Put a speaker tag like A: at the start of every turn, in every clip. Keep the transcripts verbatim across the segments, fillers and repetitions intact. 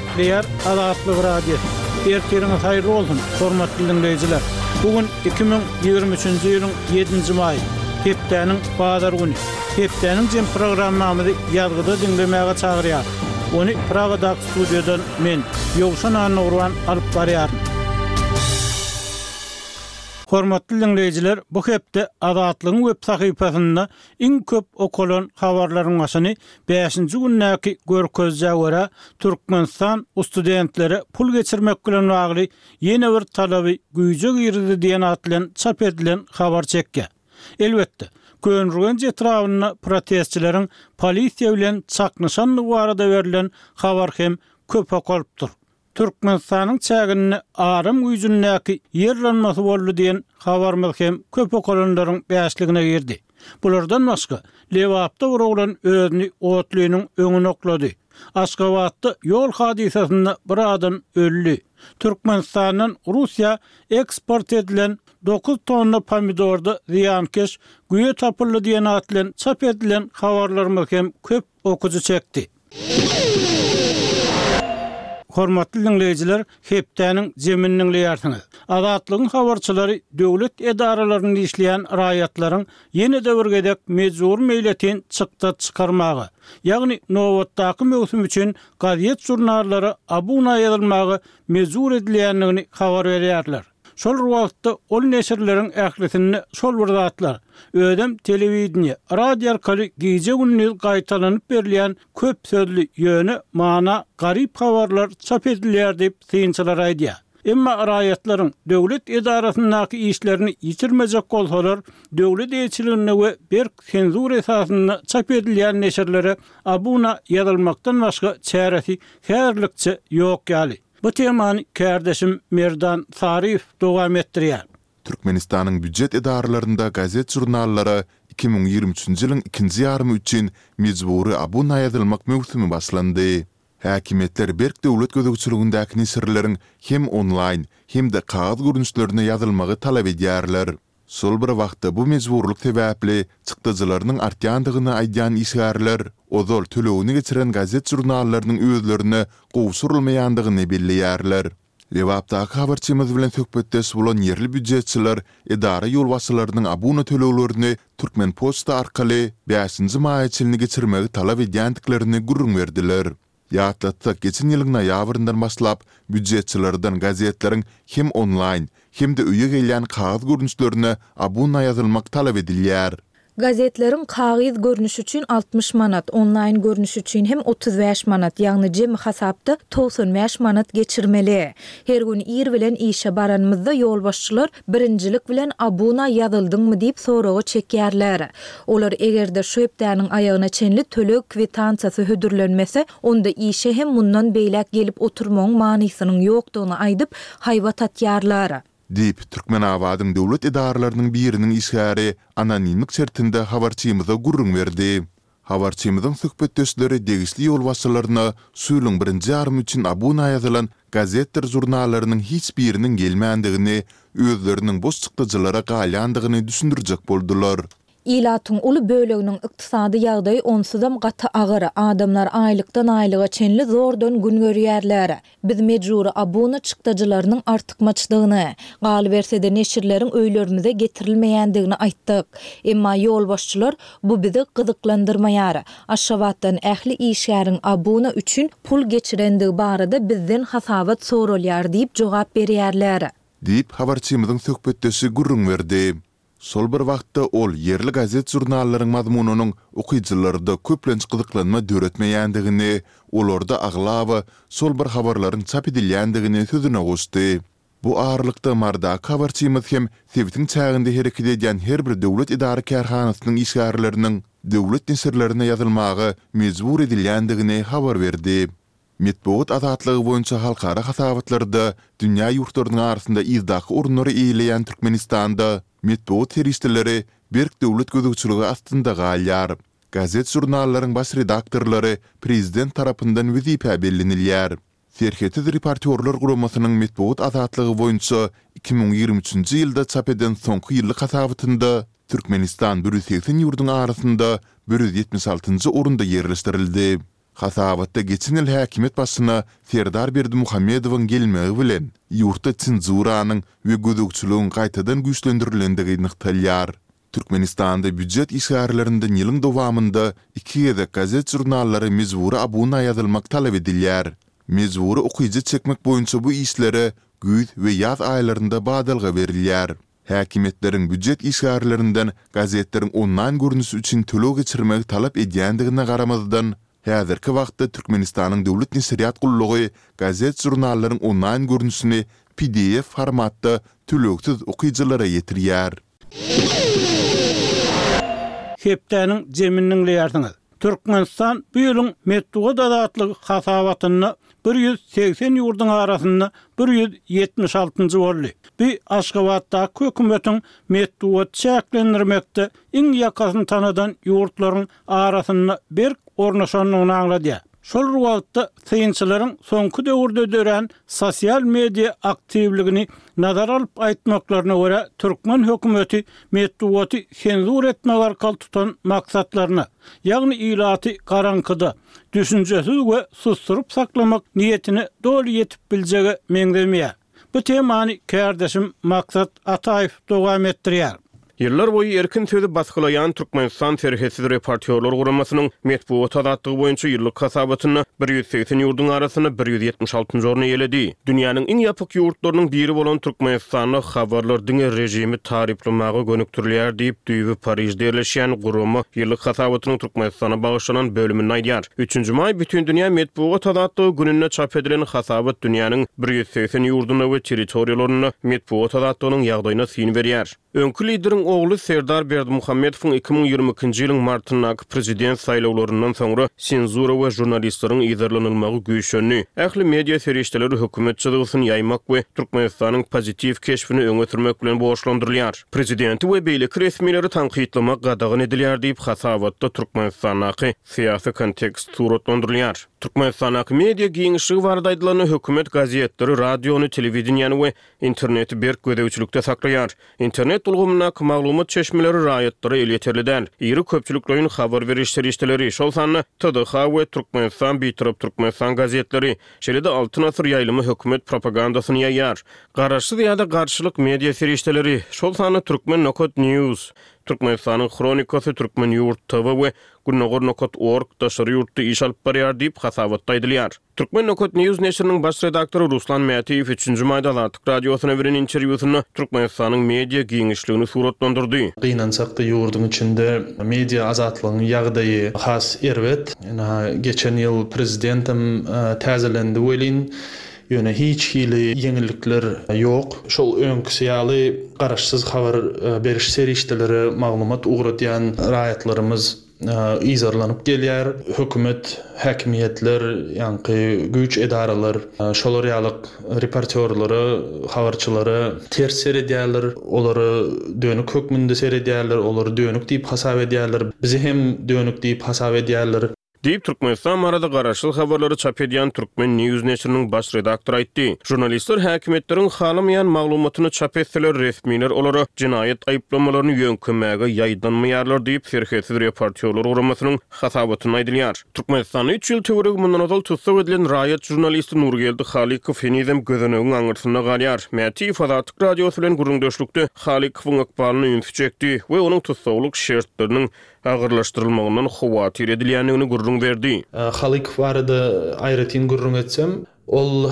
A: Gepleýär Azatlyk Radiosy. Ertiriňiz haýyrly bolsun, hormatly diňleýjiler. Bu gün iki müň ýigrimi üçünji ýylyň ýedinji maýy, hepdäniň bazar güni. Hepdäniň jem programmamyzy ýazgyda diňlemäge çagyrýarys. Ony Pragadaky studiýadan men, Ýowşan Annagurban alyp barýaryn. Hormatly diňleýjiler, bu hepde Azatlygyň web sahypasynda iň köp okalan habarlaryň başyny bäşinji gündäki görkezijä görä, Türkmenistan studentlere pul geçirmek bilen bagly ýene bir talaby güýje girizdi diýen at bilen çap edilen habar çekýär. Elbetde, Köneürgenç etrabynda protestçileriň polisiýa bilen çaknyşandygy barada berlen habar hem köp okalypdyr. Türkmenistanyň çäginde aram güýjündäki ýer yranmasy boldy diýen habarymyz hem köp okalanlaryň bäşligine girdi. Bulardan başga, Lebapda bir oglan özüni otlynyň öňüne oklady. Aşgabatda ýol hadysasynda bir adam öldi. Türkmenistandan Russiýa eksport edilen dokuz tonna pomidorda zyýankeş güýe tapyldy diýen at bilen çap edilen habarlarymyz hem köp okyjy çekdi. Hormatly diňleýjiler, hepdäniň jemini diňleýärsiňiz. Azatlygyň habarçylary döwlet edaralarynda işleýän raýatlaryň ýene-de bir gezek mejbury meýletin çykda çykarmaga, ýagny nobatdaky möwsüm üçin gazet-žurnallara abuna ýazylmaga mejbur edilýändigini habar berýärler. Şol bir wagtda ol neşirleriň ählisinde şol bir zatlar, özem telewideniýe, radio arkaly gije-gündiz gaýtalanyp berilýän köp sözli, ýöne mana garyp habarlar çap edilýär diýip, synçylar aýdýar. Emma raýatlaryň döwlet edarasyndaky işlerini ýitirmejek bolsalar, döwlet eýeçiliginde we berk senzura esasynda çap edilýän neşirlere abuna ýazylmakdan başga çäresi häzirlikçe ýok ýaly. Bu temany kärdeşim Merdan Saryýew dowam etdirýär.
B: Türkmenistanyň býujet edaralarynda gazet-žurnallara iki müň ýigrimi üçünji ýylyň ikinji ýarymy üçin mejbury abuna ýazylmak möwsümi başlandy. Häkimiýetler berk döwlet gözegçiligindäki neşirleriň hem onlaýn, hem-de kagyz görnüşlerine ýazylmagy talap edýärler. Şol bir wagtda bu mejburlyk sebäpli çykdajylarynyň artýandygyny aýdýan işgärler ozal tölegini geçiren gazet-žurnallarynyň özlerine gowşurylmaýandygyny belleýärler. Lebapdaky habarçymyz bilen söhbetdeş bolan ýerli býujetçiler edara ýolbaşçylarynyň abuna töleglerini Türkmenpoçta arkaly bäşinji maýa çenli geçirmegi talap edýändiklerini gürrüň berdiler. Ýatlatsak, geçen ýylyň noýabryndan başlap, býujetçilerden gazetleriň hem onlaýn, hem-de öýe gelýän kagyz görnüşlerine abuna ýazylmak talap edilýär.
C: Gazetleriň kagyz görnüşi üçin altmyş manat, onlaýn görnüşi üçin hem otuz bäş manat, ýagny jemi hasapda togsan bäş manat geçirmeli. Her gün ir bilen işe baranymyzda ýolbaşçylar birinjilik bilen abuna ýazyldyňmy diýip soraga çekýärler. Olar eger-de şu hepdäniň aýagyna çenli töleg kwitansiýasy hödürlenmese, onda işe hem mundan beýläk gelip oturmagyň manysynyň ýokdugyny aýdyp, haýbat atýarlar.
B: Diýip, Türkmenabadyň döwlet edaralarynyň biriniň işgäri anonimlik şertinde habarçymyza gürrüň berdi. Habarçymyzyň söhbetdeşleri degişli ýolbaşçylaryna şu ýylyň birinji ýarymy üçin abuna ýazylan gazetdir žurnallarynyň hiç biriniň gelmändigini, özleriniň boş çykdajylara galýandygyny düşündirjek boldular.
C: Ilatyň uly böleginiň ykdysady ýagdaýy onsuzam gaty agyr, adamlar aýlykdan-aýlyga çenli zordan gün görýärler. Biz mejbury abuna çykdajylarynyň artykmaçdygyny, galyberse-de neşirleriň öýlerimize getirilmeýändigini aýtdyk. Emma ýolbaşçylar bu bizi gyzyklandyrmaýar. Aşgabatdan ähli işgäriň abuna üçin pul geçirendigi barada bizden hasabat soralýar diýip jogap berýärler.
B: Diýip, habarçymyzyň söhbetdeşi gürrüň berdi. Şol bir wagtda ol ýerli gazet-žurnallaryň mazmunynyň okyjylarda köplenç gyzyklanma döretmeýändigini, olarda aglaba şol bir habarlaryň çap edilýändigini sözüne goşdy. Bu aralykda Marydaky habarçymyz hem sebitiň çäginde hereket edýän her bir döwlet edara-kärhanasynyň işgärleriniň döwlet neşirlerine ýazylmaga mejbur edilýändigini habar berdi. Metbugat azatlygy boýunça halkara hasabatlarda dünýä ýurtlarynyň arasynda yzdaky orunlary eýeleýän Türkmenistanda metbugat serişdeleri berk döwlet gözegçiligi astynda galýar. Gazet-žurnallaryň baş redaktorlary prezident tarapyndan wezipä bellenilýär. Serhetsiz reportýorlar guramasynyň metbugat azatlygy boýunça iki müň ýigrimi üçünji ýylda çap eden soňky ýyllyk hasabatynda Türkmenistan bir ýüz segsen ýurduň arasynda bir ýüz ýetmiş altynjy orunda ýerleşdirildi. Hasabatda geçen ýyl häkimiýet başyna Serdar Berdimuhamedowyň gelmegi bilen, ýurtda senzuranyň we gözegçiligiň gaýtadan güýçlendirilendigi nygtalýar. Türkmenistanda býujet işgärlerinden ýylyň dowamynda iki gezek gazet-žurnallara mejbury abuna ýazylmak talap edilýär. Mejbury okyjy çekmek boýunça bu işlere güýz we ýaz aýlarynda badalga berilýär. Häkimiýetleriň býujet işgärlerinden gazetleriň onlaýn görnüşi üçin töleg geçirmegi talap edýändigine garamazdan, häzirki wagtda Türkmenistanyň Döwlet neşirýat gullugy gazet-žurnallaryň onlaýn görnüşini P D F formatda tölegsiz okyjylara ýetirýär.
A: Hepdäniň jemini diňleýärsiňiz. Türkmenistan bu ýylyň metbugat azatlygy hasabatynda bir ýüz segsen ýurduň arasynda bir ýüz ýetmiş altynjy boldy. Bu Aşgabatdaky hökümetiň metbugat çäklendirmekde iň ýakasyny tanadan ýurtlaryň arasynda berk ornaşandygyny aňladýar. Şol wagtda synçylaryň soňky döwürde dörän sosial media aktiwligini nazara alyp aýtmaklaryna görä, türkmen hökümeti metbugaty senzur etmek arkaly tutan maksatlaryna, ýagny ilaty garaňkyda, düşünjesiz we susturyp saklamak niýetine doly ýetip biljege meňzemeýär. Bu temany kärdeşim Maksat Ataýew dowam etdirýär.
D: Ýyllar boýy erkin sözi basgylaýan Türkmenistan Serhetsiz reportýorlar guramasynyň metbugat azatlygy boýunça ýyllyk hasabatynda bir ýüz segsen ýurduň arasynda bir ýüz ýetmiş altynjy orny eýeledi. Dünýäniň iň ýapyk ýurtlarynyň biri bolan Türkmenistanda habarlar diňe režimi taryplamaga gönükdirilýär diýip, düýbi Parižde ýerleşýän gurama ýyllyk hasabatynyň Türkmenistana bagyşlanan bölüminde aýdýar. Üçünji maý Bütindünýä metbugat azatlygy gününde çap edilen hasabat dünýäniň bir ýüz segsen ýurdunda we territoriýalarynda metbugat azatlygynyň ýagdaýyna syn berýär. Öňki lideriň ogly Serdar Berdimuhamedowyň iki müň ýigrimi ikinji ýylyň martyndaky prezident saýlawlaryndan soňra senzura we žurnalistleriň yzarlanylmagy güýçlendi. Ähli media serişdeleri hökümet çyzgysyny ýaýmak we Türkmenistanyň pozitiw keşbini öňe sürmek bilen borçlandyrylýar. Prezidenti we beýleki resmileri tankytlamak gadagan edilýär diýip, hasabatda Türkmenistandaky syýasy kontekst suratlandyrylýar. Türkmenistandaky media giňişligi barada aýdylanda, hökümet gazetleri, radiony, telewideniýäni we interneti berk gözegçilikde saklaýar. Internet ulgamyndaky maglumat çeşmeleri raýatlara elýeterli däl. Iri köpçülikleýin habar beriş serişdeleri, şol sanda T D H we Türkmenistan Bitarap Türkmenistan gazetleri, şeýle-de Altyn Asyr ýaýlymy hökümet propagandasyny ýaýar. Garaşsyz ýa-da garşylyk media serişdeleri, şol sanda Türkmen nokat News, Türkmenistanyň Hronikasy, Türkmen Ýurt T V we Gündogar nokat org daşary ýurtda iş alyp barýar diýip hasabatda aýdylýar. Türkmen nokat News neşiriniň baş redaktory Ruslan Mätiýew üçünji maýda Azatlyk Radiosyna beren interwýusynda Türkmenistanyň media giňişligini suratlandyrdy.
E: Gynansak-da, ýurduň içinde media azatlygyň ýagdaýy has erbet. Geçen ýyl prezidentem täzelendi welin, ýöne hiç hili ýeňillikler ýok. Şol öňküsi ýaly garaşsyz habar beriş serişdeleri maglumat ugradýan raýatlarymyz yzarlanyp gelýär. Hökümet, häkimiýetler, ýaňky güýç edaralar şolar ýaly reportýorlara, habarçylara ters seredýärler, olara dönük hökmünde seredýärler, olary dönük diýip hasap edýärler. Bizi hem dönük diýip hasap edýärler.
D: Diýip Türkmenistan barada garaşsyz habarlary çap edýän Türkmen News neşiriniň baş redaktory aýtdy. Žurnalistler häkimiýetleriň halamaýan maglumatyny çap etseler, resmiler olara jenaýat aýyplamalaryny ýöňkemäge ýaýdanmaýarlar diýip Serhetsiz reportýorlar guramasynyň hasabatynda aýdylýar. Türkmenistanda üç ýyl töweregi mundan ozal tussag edilen raýat žurnalisti Nurgeldi Halykow henizem gözenegiň aňyrsynda galýar. Mätiýew Azatlyk Radiosy bilen gürrüňdeşlikde Halykowyň ykbalyna ünsi çekdi we onuň tussaglyk şertleriniň agyrlaşdyrylmagyndan howatyr edilýändigini gürrüň berdi.
E: Halykow barada aýratyn gürrüň etsem, ol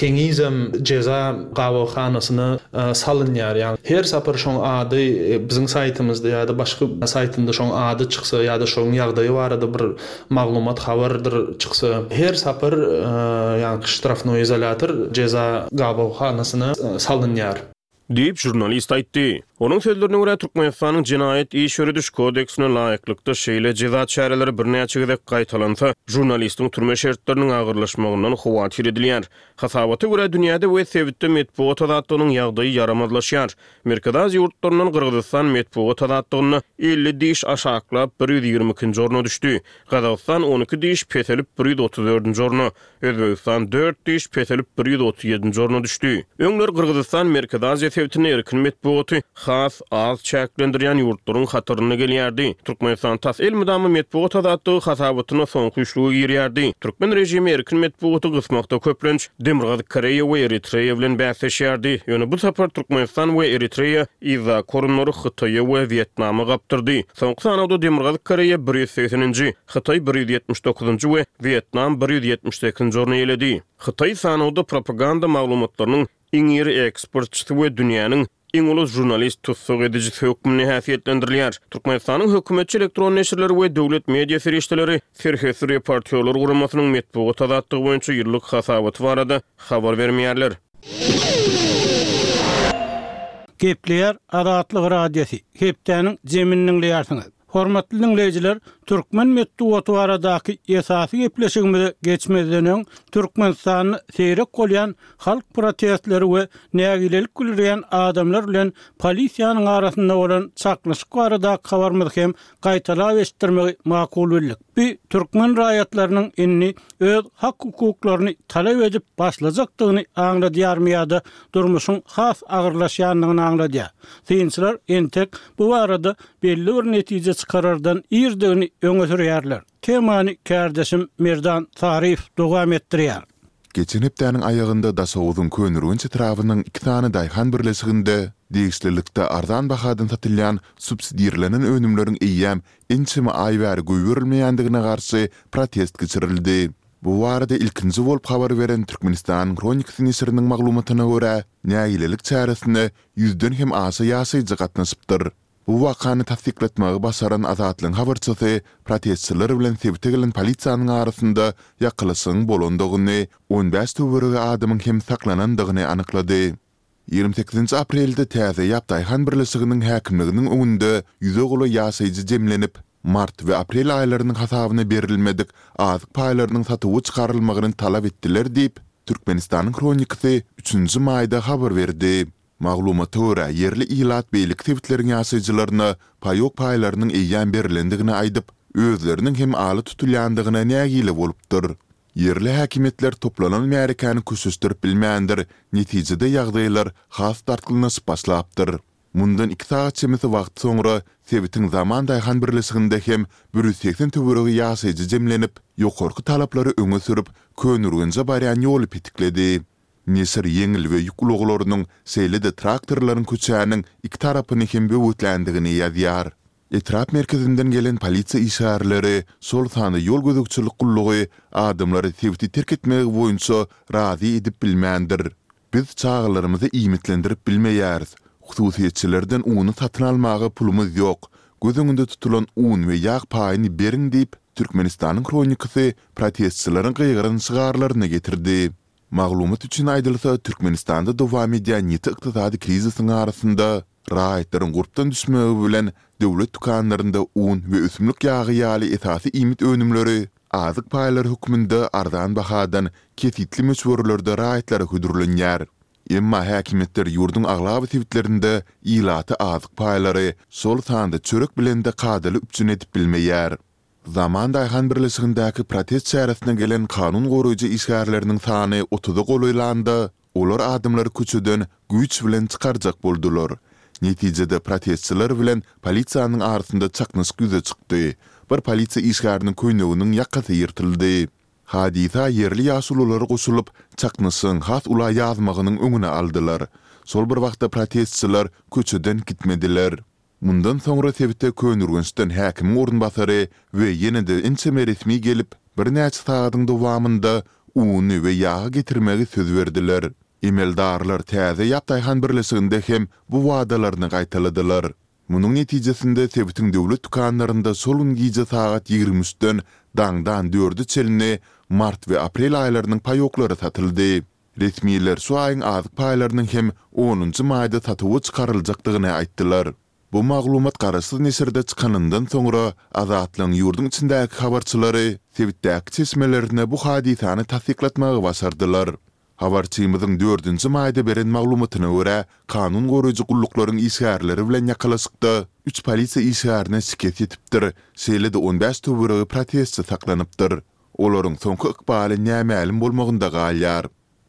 E: henizem jeza gabawhanasyna salynýar. Ýagny her sapar şoň ady biziň saýtymyzda ýa-da başga saýtynda şoň ady çyksa ýa-da şoň ýagdaýy barada bir maglumat habardyr çyksa, her sapar ýagny ştrafnoý izolýator, jeza gabawhanasyna salynýar.
D: Diýip žurnalist aýtdy. Onuň sözlerine görä, Türkmenistanyň jenaýat iş ýörediş kodeksine laýyklykda şeýle jeza çäreleri birnäçe gezek gaýtalansa, žurnalistiň türme şertleriniň agyrlaşmagyndan howatyr edilýär. Hasabata görä, dünýäde we sebitde metbugat azatlygynyň ýagdaýy ýaramazlaşýar. Merkezi Aziýa ýurtlaryndan Gyrgyzystan metbugat azatlygynda elli diş aşaklap bir ýüz ýigrimi ikinji orna düşdi. Gazagystan on iki diş peselip bir ýüz otuz dördünji orna, Özbegistan dört diş peselip bir ýüz otuz ýedinji orna düşdi. Öňler Gyrgyzystan Merkezi Aziýa sebitinde erkin metbugaty has has az çäklendirýän ýurtlaryň hatarynda gelýärdi. Türkmenistan tas elmydama metbugat azatlygy hasabatynda soňky üçlüge girýärdi. Türkmen režimi erkin metbugaty gysmakda köplenç Demirgazyk Koreýa we Eritreýa bilen bäsleşýärdi. Ýöne bu sapar Türkmenistan we Eritreýa yzdaky orunlary Hytaýa we Wýetnama gapdyrdy. Soňky sanawda Demirgazyk Koreýa bir ýüz segseninji, Hytaý bir ýüz ýetmiş dokuzynjy we Wýetnam bir ýüz ýetmiş sekizinji orny eýeledi. Hytaý sanawda propaganda maglumatlarynyň iň iri eksportçysy we dünýäniň iň uly žurnalist tussag edijisi hökmünde häsiýetlendirilýär. Türkmenistanyň hökümetçi elektron neşirleri we döwlet media serişdeleri Serhetsiz reportýorlar guramasynyň metbugat azatlygy boýunça ýyllyk hasabaty barada habar bermeýärler.
A: Gepleýär Azatlyk Radiosy, hepdäniň jemini diňleýärsiňiz. Hormatly diňleýjiler, türkmen metbugaty baradaky esasy gepleşigimize geçmezden öň, Türkmenistanda seýrek bolýan halk protestleri we nägilelik bildirýän adamlar bilen polisiýanyň arasynda bolan çaknyşyk baradaky habarymyzy hem gaýtalap eşitdirmegi makul bildik. Bu türkmen raýatlarynyň indi öz hak-hukuklaryny talap edip başlajakdygyny aňladýarmy ýa-da durmuşyň has agyrlaşýandygyny aňladýar? Synçylar entek bu barada belli bir netije çykarardan irdigini öňe sürýärler. Temany kärdeşim Merdan Saryýew dowam etdirýär.
B: Geçen hepdäniň aýagynda Daşoguzyň Köneürgenç etrabynyň iki sany daýhan birleşiginde degişlilikde arzan bahadan satylýan subsidirlenen önümleriň eýýäm ençeme aý bäri goýberilmeýändigine garşy protest geçirildi. Bu barada ilkinji bolup habar beren Türkmenistanyň Hronikasy neşiriniň maglumatyna görä, nägilelik çäresine ýüzden hem aşa ýaşaýjy gatnaşypdyr. Bu wakany tassyklatmagy başaran Azatlygyň habarçysy protestçiler bilen sebite gelen polisiýanyň arasynda ýakalaşygyň bolandygyny, on bäş töweregi adamyň hem saklanandygyny anyklady. Ýigrimi sekizinji aprelde Täze Ýap daýhan birleşiginiň häkimliginiň öňünde ýüze golaý ýaşaýjy jemlenip, mart we aprel aýlarynyň hasabyna berilmedik azyk paýlarynyň satuwa çykarylmagyny talap etdiler diýip, Türkmenistanyň Hronikasy üçünji maýda habar berdi. Maglumata görä, ýerli ilat beýleki sebitleriň ýaşaýjylaryna paýok paýlarynyň eýýäm berlendigini aýdyp, özleriniň hem ala tutulýandygyna nägile bolupdyr. Ýerli häkimiýetler toplanan märekäni köşeşdirip bilmändir, netijede ýagdaýlar has dartgynlaşyp başlapdyr. Mundan iki sagat çemesi wagt soňra sebitiň Zaman daýhan birleşiginde hem bir ýüz segsen töweregi ýaşaýjy jemlenip, ýokarky talaplary öňe sürüp, Köneürgenje barýan ýoly petikledi. Neşir ýeňil we ýük ulaglarynyň, şeýle-de traktorlaryň köçäniň iki tarapyny hem böwetländigini ýazýar. Etrap merkezinden gelen polisiýa işgärleri, şol sanda ýol gözegçilik gullugy adamlary sebiti terk etmegi boýunça razy edip bilmändir. Biz çagalarymyzy iýmitlendirip bilmeýäris, hususyýetçilerden uny satyn almaga pulumyz ýok, göz öňünde tutulan un we ýag paýyny beriň diýip, Türkmenistanyň Hronikasy protestçileriň gygyran şygarlaryny getirdi. Maglumat üçin aýdylsa, Türkmenistanda dowam edýän ýiti ykdysady krizisiň arasynda, raýatlaryň gurpdan düşmegi bilen döwlet dükanlarynda un we ösümlik ýagy ýaly esasy iýmit önümleri azyk paýlary hökmünde arzan bahadan kesgitli möçberlerde raýatlara hödürlenýär. Emma häkimiýetler ýurduň aglaba sebitlerinde ilaty azyk paýlary, şol sanda çörek bilen-de kadaly üpjün edip bilmeýär. Zaman daýhan birleşigindäki protest çäresine gelen kanun goraýjy işgärleriniň sany otuza golaýlanda, olar adamlary köçeden güýç bilen çykarjak boldular. Netijede protestçiler bilen polisiýanyň arasynda çaknyşyk ýüze çykdy. Bir polisiýa işgäriniň köýneginiň ýakasy ýyrtyldy. Hadysa ýerli ýaşulular goşulyp, çaknyşygyň has ula ýazmagynyň öňüni aldylar. Şol bir wagtda protestçiler köçeden gitmediler. Mundan soňra sebite Köneürgençden häkimiň orunbasary we ýene-de ençeme resmi gelip, birnäçe sagadyň dowamynda uny we ýagy getirmegi söz berdiler. Emeldarlar Täze Ýap daýhan birleşiginde hem bu wadalaryny gaýtaladylar. Munuň netijesinde sebitiň döwlet dükanlarynda şol gün gije sagat ýigrimi üçden daňdan dörde çenli mart we aprel aýlarynyň paýoklary satyldy. Resmiler şu aýyň azyk paýlarynyň hem onunjy maýda satuwa çykaryljakdygyny aýtdylar. Bu maglumat garaşsyz neşirde çykanyndan soňra, Azatlygyň ýurduň içindäki habarçylary sebitdäki çeşmelerine bu hadysany tassyklatmagy başardylar. Habarçymyzyň dördünji maýda beren maglumatyna görä, kanun goraýjy gulluklaryň işgärleri bilen ýakalaşykda üç polisiýa işgärine şikes ýetipdir, şeýle-de on bäş töweregi protestçi saklanypdyr. Olaryň soňky ykbaly nämälim bolmagynda galýar.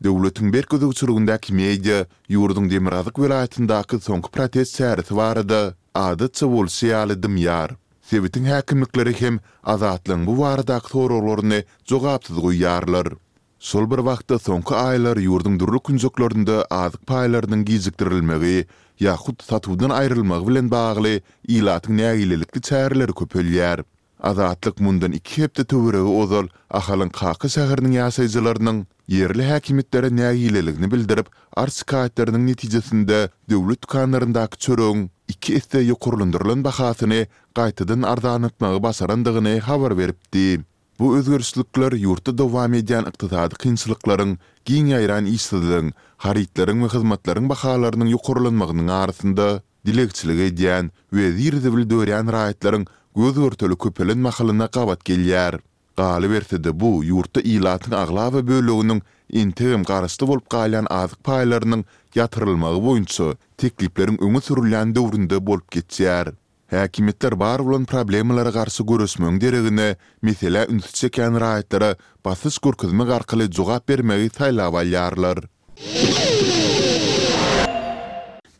B: Döwletiň berk gözegçiligindäki media ýurduň demirgazyk welaýatyndaky soňky protest çäresi barada, adatça bolşy ýaly, dymýar. Sebitiň häkimlikleri hem Azatlygyň bu baradaky soraglaryny jogapsyz goýýarlar. Şol bir wagtda, soňky aýlar ýurduň dürli künjeklerinde azyk paýlarynyň gijikdirilmegi ýa hut satuwdan aýrylmagy bilen bagly ilatyň nägilelikli çäreleri köpelýär. Azatlyk mundan iki hepde töweregi ozal Ahalyň Kaka şäheriniň ýaşaýjylarynyň ýerli häkimiýetlere nägileligini bildirip, arz-şikaýatlarynyň netijesinde döwlet dükanlaryndaky çöregiň iki esse ýokarlandyrylan bahasyny gaýtadan arzanlatmagy başarandygyny habar beripdi. Bu özgerişlikler ýurtda dowam edýän ykdysady kynçylyklaryň, giň ýaýran işsizligiň, harytlaryň we hyzmatlaryň bahalarynyň ýokarlanmagynyň arasynda dilegçilik edýän we zir-zibil dörýän raýatlaryň göz-görtele köpelen mahalyna gabat gelýär. Galyberse-de, bu ýurtda ilatyň aglaba böleginiň entegem garaşly bolup galýan azyk paýlarynyň ýatyrylmagy boýunça teklipleriň öňe sürülýän döwründe bolup geçýär. Häkimiýetler bar bolan problemalara garşy göreşmegiň deregine, meselä ünsi çekýän raýatlara basyş görkezmek arkaly jogap bermegi saýlap alýarlar.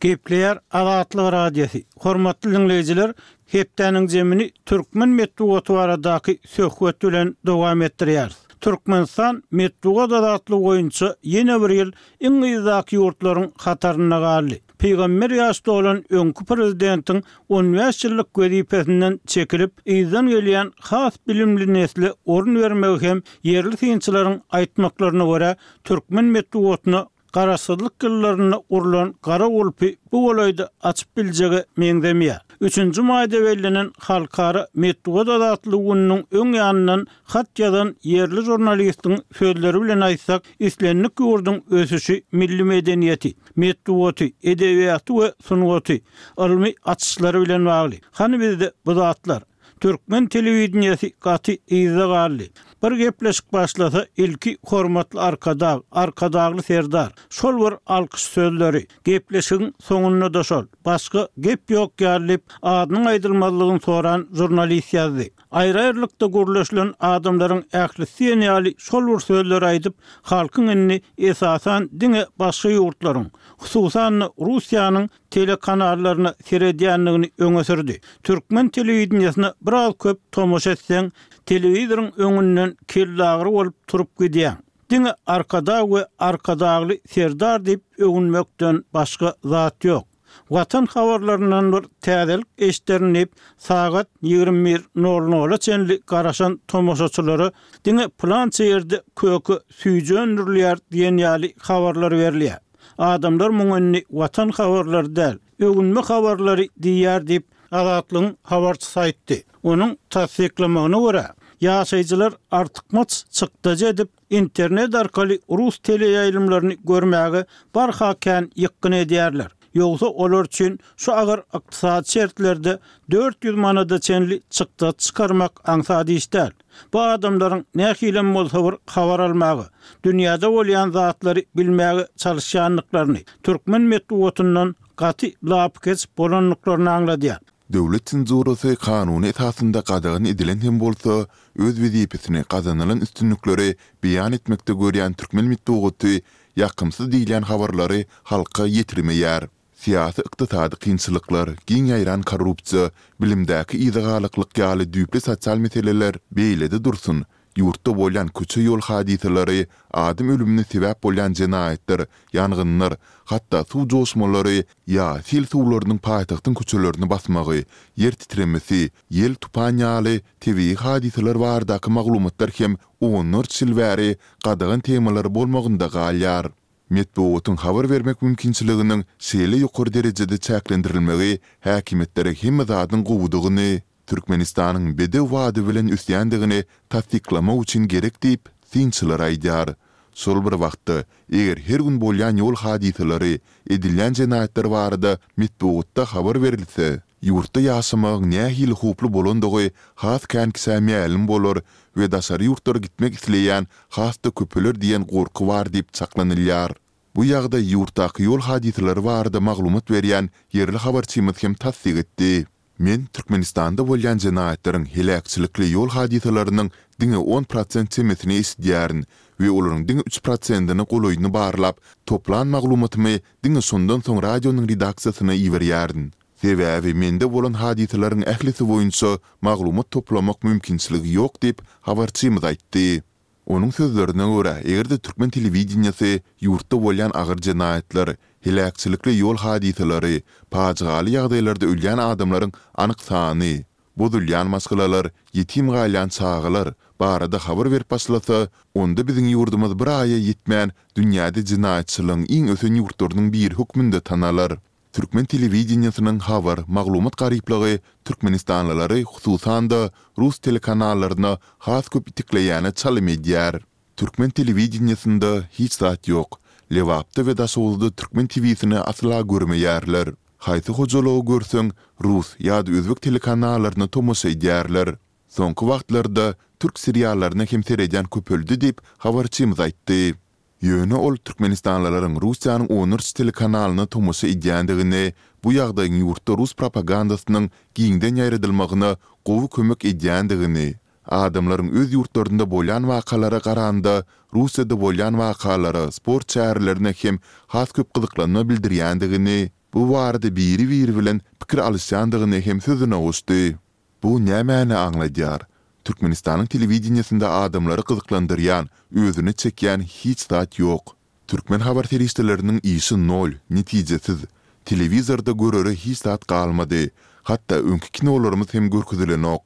A: Gepleýär Azatlyk Radiosy. Hormatly diňleýjiler, hepdäniň jemini türkmen metbugaty baradaky söhbet bilen dowam etdirýäris. Türkmenistan metbugat azatlygy boýunça ýene bir ýyl iň yzdaky ýurtlaryň hatarynda galdy. Pygamber ýaş dolan öňki prezidentiň on bäş ýyllyk wezipesinden çekilip, yzdan gelýän has bilimli nesle orun bermegi hem ýerli synçylaryň aýtmaklaryna görä, türkmen metbugatyna garaşsyzlyk ýyllarynda gurlan gara gulpy bu golaýda açyp biljege meňzemeýär. Üçünji maýda bellenen Halkara metbugat azatlygy gününiň öň ýanyndan hat ýazan ýerli žurnalistiň sözleri bilen aýtsak, islendik ýurduň ösüşi milli medeniýeti, metbugaty, edebiýaty we sungaty, ylmy açyşlary bilen bagly. Hany bizde bu zatlar? Türkmen telewideniýesi gaty yzda galdy. Bir gepleşik başlasa, ilki Hormatly Arkadag, Arkadagly Serdar. Şol bir alkyş sözleri. Gepleşigiň soňunda-da şol. Başga gep ýok ýaly diýip, adynyň aýdylmazlygyny soran žurnalist ýazdy. Aýry-aýrylykda gürleşilen adamlaryň ählisi diýen ýaly şol bir sözleri aýdyp, halkyň indi esasan diňe başga ýurtlaryň, hususan-da Russiýanyň telekanallaryna seredýändigini öňe sürdi. Türkmen telewideniýesine biraz köp tomaşa etseň, telewizoryň öňünden kellagyry bolup turup gidýäň. Diňe Arkadag we Arkadagly Serdar diýip öwünmekden başga zat ýok. Watan habarlaryndan bir täzelik eşderin diýip, sagat ýigrimi bir nol nola çenli garaşan tomaşaçylara diňe pylança ýerde köke süýji öndürilýär diýen ýaly habarlar berilýär. Adamlar muňa indi Watan habarlary däl, öwünme habarlary diýýär diýip, Azatlygyň habarçysy aýtdy. Onuň tassyklamagyna görä, ýaşaýjylar artykmaç çykdajy edip, internet arkaly rus teleýaýlymlaryny görmäge barha kän ýykgyn edýärler. Ýogsa olar üçin şu agyr ykdysady şertlerde dört ýüz manada çenli çykdajy çykarmak aňsat iş däl. Bu adamlaryň nähilem bolsa bir habar almaga, dünýäde bolýan zatlary bilmäge çalyşýandyklaryny, türkmen metbugatyndan gaty lapykeç bolandyklaryny aňladýar.
B: Döwlet senzurasy kanuny esasynda gadagan edilen hem bolsa, öz wezipesini gazanylan üstünlikleri beýan etmekde görýän türkmen metbugaty ýakymsyz diýilýän habarlary halka ýetirmeýär. Syýasy-ykdysady kynçylyklar, giň ýaýran korrupsiýa, bilimdäki yzagalaklyk ýaly düýpli sosial meseleler beýlede dursun, ýurtda bolýan köçe-ýol hadysalary, adam ölümine sebäp bolýan jenaýatlar, ýangynlar, hatda suw joşmalary ýa sil suwlarynyň paýtagtyň köçelerini basmagy, ýer titremesi, ýel-tupan ýaly tebigy hadysalar baradaky maglumatlar hem onlarça ýyl bäri gadagan temalar bolmagynda galýar. Metbugatyň habar bermek mümkinçiliginiň şeýle ýokary derejede çäklendirilmegi häkimiýetlere hemme zadyň gowudygyny, Türkmenistanyň bedew bady bilen ösýändigini tassyklamak üçin gerek diýip, synçylar aýdýar. Şol bir wagtda, eger her gün bolýan ýol hadysalary, edilýän jenaýatlar barada metbugatda habar berilse, ýurtda ýaşamagyň nähili howply bolandygy has kän kişä mälim bolar we daşary ýurtlara gitmek isleýän has-da köpeler diýen gorky bar diýip çaklanylýar. Bu ýagdaý ýurtdaky ýol hadysalary barada maglumat berýän ýerli habarçymyz hem tassyk etdi. Men Türkmenistanda bolýan jenaýatlaryň, heläkçilikli ýol hadysalarynyň diňe on prosent çemesini eşidýärin we olaryň diňe üç prosentine golaýyny barlap, toplan maglumatymy diňe şondan soň radionyň redaksiýasyna iberýärin. Sebäbi mende bolan hadysalaryň ählisi boýunça maglumat toplamak mümkinçiligi ýok diýip, habarçymyz aýtdy. Onuň sözlerine görä, eger-de türkmen telewideniýesi ýurtda bolýan agyr jenaýatlar, heläkçilikli ýol hadysalary, pajygaly ýagdaýlarda ölýän adamlaryň anyk sany, bozulýan maşgalalar, ýetim galýan çagalar barada habar berip başlasa, onda biziň ýurdumyz bir aýa ýetmän dünýäde jenaýatçylygyň iň ösen ýurtlarynyň biri hökmünde tanalar. Türkmen telewideniýesiniň habar, maglumat garyplygy türkmenistanlylary, hususan-da, rus telekanallaryna has köp itekleýäne çalym edýär. Türkmen telewideniýesinde hiç zat ýok. Lebapda we Daşoguzda türkmen TW-sini asla görmeýärler. Haýsy hojalygy görseň, rus ýa-da özbek telekanallaryna tomaşa edýärler. Soňky wagtlarda türk seriallaryna hem seredýän köpeldi diýip, habarçymyz aýtdy. Ýöne ol türkmenistanlylaryň Russiýanyň onlarça telekanalyna tomaşa edýändigini, bu ýagdaýyň ýurtda rus propagandasynyň giňden ýaýradylmagyna gowy kömek edýändigini, adamlaryň öz ýurtlarynda bolýan wakalara garanda Russiýada bolýan wakalara, sport çärelerine hem has köp gyzyklanma bildirýändigini, bu barada biri-biri bilen pikir alyşýandygyny hem sözüne goşdy. Bu nämäni aňladýar? Türkmenistanyň telewideniýesinde adamlary gyzyklandyrýan, özüne çekýän hiç zat ýok. Türkmen habar serişdeleriniň işi nol, netijesiz. Telewizorda görere hiç zat galmady. Hatda öňki kinolarymyz hem görkezilenok.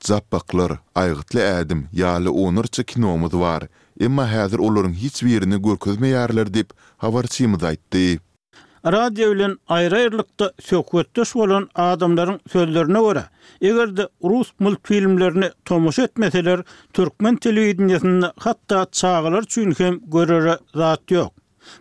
B: Japbaklar, Aýgytly ädim ýaly onlarça kinomyz bar. Emma häzir olaryň hiç birini görkezmeýärler diýip, habarçymyz aýtdy.
A: Radio bilen aýry-aýrylykda söhbetdeş bolan adamlaryň sözlerine görä, eger-de rus multfilmlerine tomaşa etmeseler, türkmen telewideniýesinde hatda çagalar üçin hem görere zat ýok.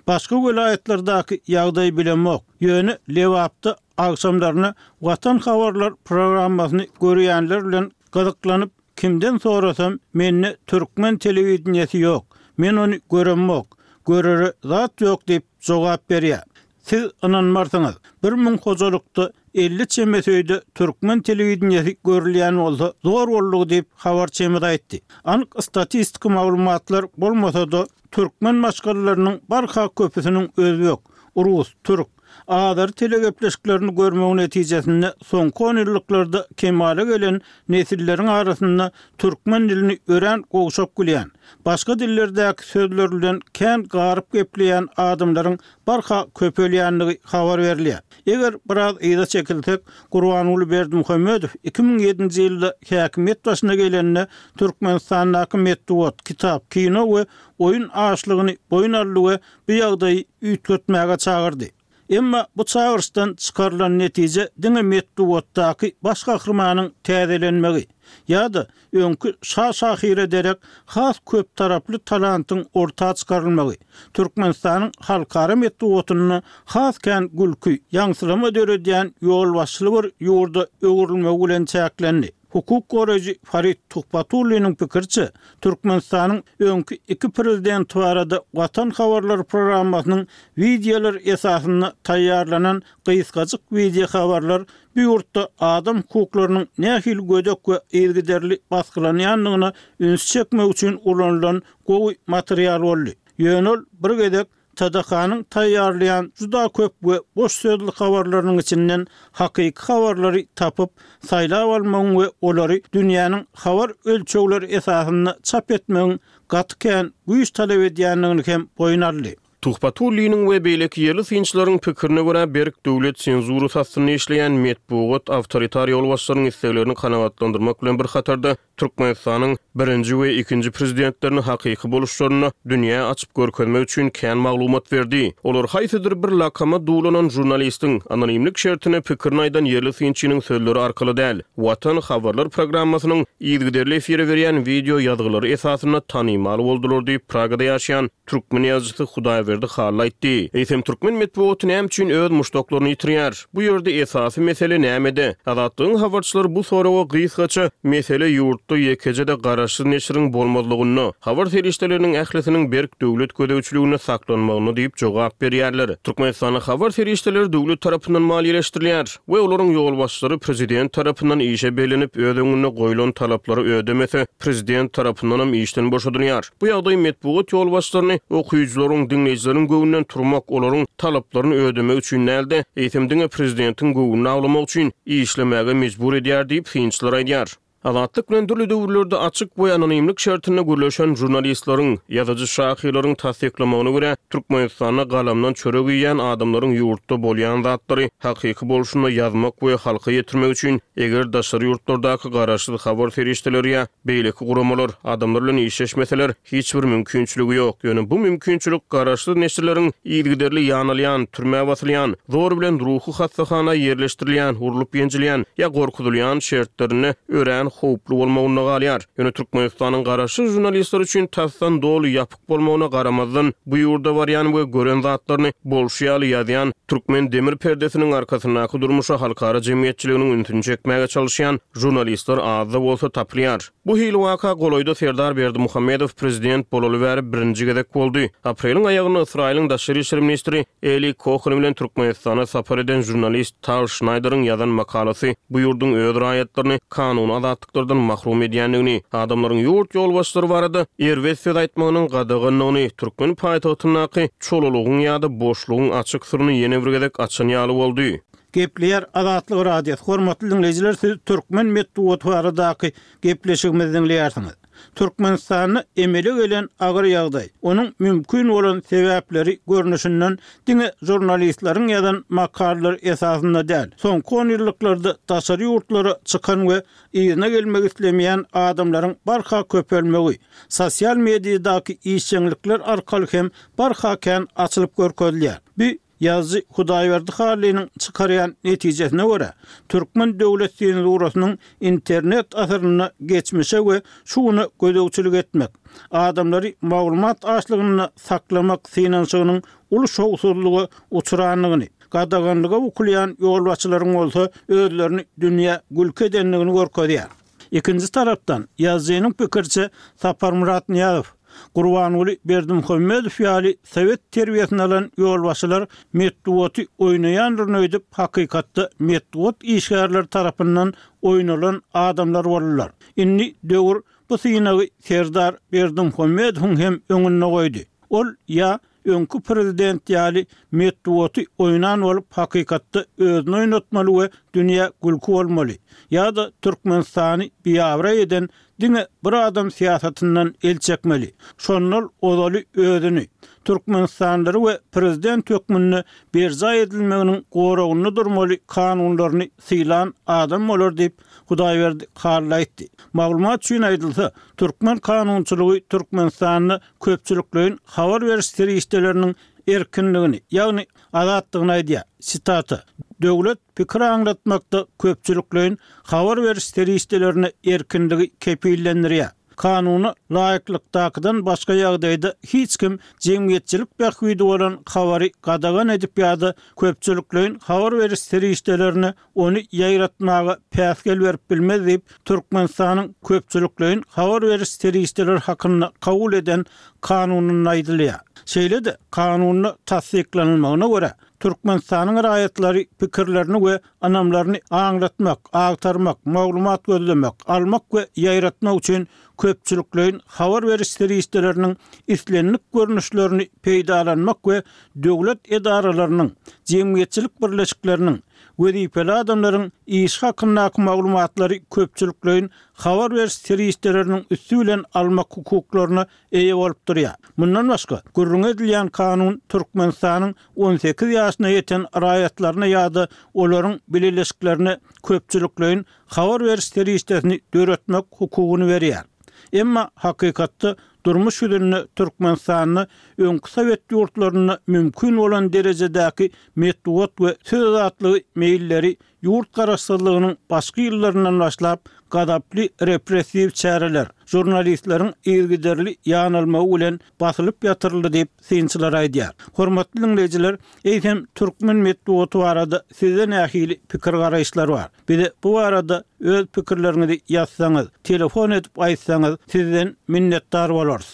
A: Başga welaýatlardaky ýagdaýy bilemok, ýöne Lebapda agşamlaryna Watan habarlar programmasyny görýänler bilen gyzyklanyp kimden sorasam, mende türkmen telewideniýesi ýok, men ony göremok, görere zat ýok diýip jogap berýär. Siz ynanmarsyňyz, bir müň hojalykda elli çemesi öýde türkmen telewideniýesi görülýän bolsa zor boldugy diýip, habarçymyz aýtdy. Anyk statistiki maglumatlar bolmasa-da, türkmen maşgalalarynyň barha köpüsiniň özbek, rus, türk, azeri telegepleşiklerini görmegi netijesinde soňky onýyllyklarda kemala gelen nesilleriň arasynda türkmen dilini örän gowşak bilýän, başga dillerdäki sözler bilen kän garyp gepleýän adamlaryň barha köpelýändigi habar berilýär. Eger biraz yza çekilsek, Gurbanguly Berdimuhamedow iki müň ýedinji ýylda häkimiýet başyna gelende Türkmenistandaky metbugat, kitap, kino we oýun açlygyny boýun aldy we bu ýagdaýy üýtgetmäge çagyrdy. Emma bu çagyryşdan çykarylan netije diňe metbugatdaky baş gahrymanyň täzelenmegi ýa-da öňki şa şahyra derek has köptaraply talantyň orta çykarylmagy, Türkmenistanyň halkara metbugatynda has kän gülki, ýaňsylama döredýän ýolbaşçyly bir ýurda öwrülmegi bilen çäklendi. Hukuk goraýjy Farid Tuhbatulliniň pikiriçe, Türkmenistanyň öňki iki prezidenti barada Watan habarlary programmasynyň wideolar esasynda taýýarlanan gysgajyk wideohabarlar bu ýurtda adam hukuklarynyň nähili gödek we yzygiderli basgylanýandygyna üns çekmek üçin ulanylan gowy material boldy. Ýöne ol bir gezek T D K-nyň taýýarlaýan juda köp we boş sözli habarlarynyň içinden hakyky habarlary tapyp, saýlap almagyň we olary dünýäniň habar ölçegleri esasynda çap etmegiň gaty kän güýç talap edýändigini hem boýun aldy.
D: Tuhbatulliniň we beýleki ýerli synçylaryň pikirine görä, berk döwlet senzurasy astynda işleýän metbugat awtoritar ýolbaşçylaryň isleglerini kanagatlandyrmak bilen bir hatarda Türkmenistanyň birinji we ikinji prezidentlerini hakyky boluşlarynda dünýä açyp görkezmek üçin kän maglumat berdi. Olar haýsydyr bir lakama duwlanan žurnalistiň anonimlik şertinde pikirini aýdan ýerli synçynyň sözleri arkaly däl, Watan habarlar programmasynyň yzygiderli efire berýän wideo ýazgylary esasynda tanymal boldular diýip, Pragada ýaşaýan türkmen ýazyjysy Hudaýberdi Hudaýberdi Hally aýtdy. Eýsem türkmen metbugaty näme üçin öz muşdaklaryny ýitirýär? Bu ýerde esasy mesele nämede? Azatlygyň habarçylary bu soraga gysgaça mesele ýurtda ýekeje-de garaşsyz neşiriň bolmazlygynda, habar serişdeleriniň ählisiniň berk döwlet gözegçiliginde saklanmagyny diýip jogap berýärler. Türkmenistanyň habar serişdeleri döwlet tarapyndan maliýeleşdirilýär we olaryň ýolbaşçylary prezident tarapyndan işe bellenip öz öňünde goýlan talaplary ödemese prezident tarapyndan hem işden boşadylýar. Bu ýagdaý metbugat ýolbaşçylaryny okyjylaryň, diňleýjileriň göwnünden turmak, olaryň talaplaryny ödemek üçin dälde, eýsem diňe prezidentiň göwnüni awlamak üçin işlemäge mejbur edýär diýip synçylar aýdýar. Azatlyk bilen dürli döwürlerde açyk we anonimlik şertinde gürleşen jurnalistleriň, ýazyjy şahyrlaryň tassyklamagyna görä, Türkmenistanda galamdan çörek iýen adamlaryň ýurtda bolýan zatlary hakyky bolşunda ýazmak we halka ýetirmek üçin eger daşary ýurtlardaky garaşsyz habar serişdeleri ýa beýleki guramalar adamlar bilen işleşmeseler hiç bir mümkinçiligi ýok. Ýöne bu mümkinçilik garaşsyz neşirleriň yzygiderli ýanalýan, türmä basylýan, zor bilen ruhy hassahana ýerleşdirilýän, urlup ýenjilýän ýa gorkuzylýan şertlerinde örän howply bolmagynda galýar. Ýöne Türkmenistanyň garaşsyz jurnalistler üçin tasdan doly ýapyk bolmagyna garamazdan bu ýurda barýan we gören zatlaryny bolşy ýaly ýazýan türkmen demir perdesiniň arkasyndaky durmuşa halkara jemgyýetçiliginiň ünsüni çekmäge çalışýan jurnalistler azda bolsa tapylýar. Bu hili waka golaýda Serdar Berdimuhamedow prezident bolaly bäri birinji gezek boldy. Apreliň aýagynda Ysraýylyň daşary işler ministri Eli Kohen bilen Türkmenistana sapar eden jurnalist Tal Şnaýderiň ýazan makalasy bu ýurduň öz raýatlaryny kanuny azatlyklardan mahrum edýändigini, adamlaryň ýurt ýolbaşçylary barada erbet söz aýtmagynyň gadaganlygyny, türkmen paýtagtyndaky çolalygyň ýa-da boşlugyň açyk syryny ýene bir gezek açan ýaly boldy.
A: Gepleýär Azatlyk Radiosy. Hormatly dinleýjiler, siz türkmen metbugaty baradaky gepleşigimizi dinleýärsiňiz. Türkmenistanda emele gelen agyr ýagdaý, onuň mümkin bolan sebäpleri görnüşinden diňe jurnalistleriň ýazan makalalary esasynda däl. Soňky on ýyllyklarda daşary ýurtlara çykan we yzyna gelmek islemeýän adamlaryň barha köpelmegi, sosial mediadaky işjeňlikler arkaly hem barha kän açylyp görkezilýär. Bu ýazyjy Hudaýberdi Hallynyň çykarýan netijesine görä, türkmen döwlet senzurasynyň internet asyrynda geçmişe we şu güne gözegçilik etmek, adamlary maglumat açlygynda saklamak synanyşygynyň uly şowsuzlyga uçrandygyny, gadaganlyga bukulýan ýolbaşçylaryň bolsa özlerini dünýä gülki edendigini görkezýär. Ikinji tarapdan ýazyjynyň pikirçe Saparmyrat Nyýazow, Gurbanguly Berdimuhamedow ýaly sowet terbiýesini alan ýolbaşçylar metbugaty oýnaýandyr öýdüp hakykatda metbugat işgärleri tarapyndan oýnalan adamlar boldular. Indi döwür bu synagy Serdar Berdimuhamedowyň hem öňünde goýdy. Ol ýa öňkü prezident ýaly metbugaty oýnan bolup hakykatda özüni oýnatmaly we dünýä gülki bolmaly ýa-da Türkmenistany biabraý eden diňe bir adam syýasatyndan el çekmeli. Şondan ozaly özüni Türkmenistanlary we prezident hökmünde berjaý edilmeginiň goragynda durmaly kanunlaryny sylan adam bolar diýip Hudaýberdi Hally aýtdy. Maglumat üçin aýdylsa, türkmen kanunçylygy Türkmenistanda köpçülikleýin habar beriş serişdeleriniň erkinligini, ýagny azatlygyny aýdýar. Sitata: Döwlet pikir aňlatmakda köpçülikleýin habar beriş serişdelerine erkinligi kepillendirýär. Kanuna laýyklykdakydan başga ýagdaýda hiç kim jemgyýetçilik bähbidi bolan habary gadagan edip ýa-da köpçülikleýin habar beriş serişdelerine ony ýaýratmaga päsgel berip bilmez diýip Türkmenistanyň köpçülikleýin habar beriş serişdeleri hakynda kabul eden kanunynda aýdylýar. Şeýle-de kanunda tassyklanylmagyna görä Türkmenistanyň raýatlary pikirlerini we ynamlaryny aňlatmak, agtarmak, maglumat gözlemek, almak we ýaýratmak üçin köpçülikleýin habar beriş serişdeleriniň islendik görnüşlerini peýdalanmak we döwlet edaralarynyň, jemgyýetçilik birleşikleriniň, wezipeli adamlaryň iş hakyndaky maglumatlary köpçülikleýin habar beriş serişdeleriniň üsti bilen almak hukuklaryna eýe bolup durýar. Mundan başga, gürrüň edilýän kanun Türkmenistanyň on sekiz ýaşyna ýeten raýatlaryna ýa-da olaryň bileleşiklerine köpçülikleýin habar beriş serişdesini döretmek hukugyny berýär. Emma hakykatda durmuş ýüzünde Türkmenistanda öňki sowet ýurtlarynda mümkin bolan derejedäki metbugat we söz azatlygy meýilleri ýurt garaşsyzlygynyň başky ýyllaryndan başlap gazaply repressiw çäreler, žurnalistleriň yzygiderli ýanalmagy bilen basylyp ýatyryldy diýip, synçylar aýdýar. Hormatly diňleýjiler, eýsem türkmen metbugaty barada sizde nähili pikir-garaýyşlar bar? Bize bu barada öz pikirleriňizi ýazsaňyz, telefon edip aýtsaňyz, sizden minnetdar bolarys.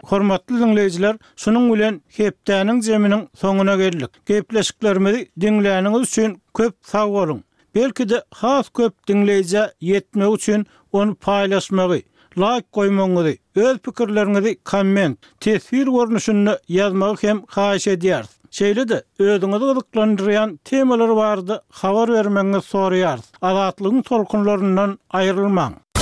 A: Hormatly diňleýjiler, şunuň bilen hepdäniň jeminiň soňuna geldik. Gepleşiklerimizi diňläniňiz üçin köp sag boluň! Belki-de has köp diňleýjä ýetmegi üçin ony paýlaşmagy, laýk goýmagyňyzy, öz pikirleriňizi komment, teswir görnüşinde ýazmagy hem haýyş edýäris. Şeýle-de özüňizi gyzyklandyrýan temalar barada habar bermegiňizi soraýarys. Azatlygyň tolkunlaryndan aýrylmaň!